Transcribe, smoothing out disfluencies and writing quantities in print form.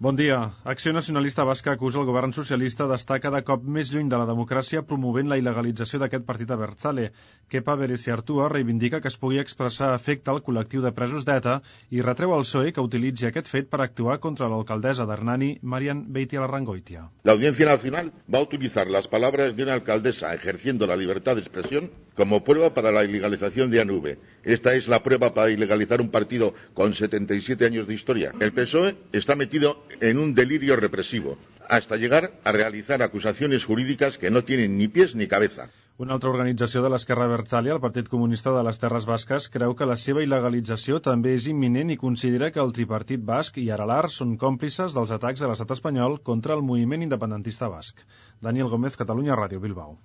Bon dia. Acció Nacionalista Basca acusa el govern socialista d'estar cada cop més lluny de la democràcia promovent la il·legalització d'aquest partit abertzale. Kepa Bereziartua reivindica que es pugui expressar afecte al col·lectiu de presos d'ETA i retreu al PSOE que utilitzi aquest fet per actuar contra l'alcaldessa d'Hernani, Marian Beitialarrangoitia. La Audiencia Nacional va a utilizar las palabras de una alcaldesa ejerciendo la libertad de expresión como prueba para la ilegalización de ANV. Esta es la prueba para ilegalizar un partido con 77 años de historia. El PSOE está metido en un delirio represivo, hasta llegar a realizar acusaciones jurídicas que no tienen ni pies ni cabeza. Una altra organització de l'esquerra abertzale, el Partit Comunista de les Terres Basques, creu que la seva il·legalització també és imminent i considera que el tripartit basc i Aralar són còmplices dels atacs de l'estat espanyol contra el moviment independentista basc. Daniel Gómez, Catalunya Ràdio, Bilbao.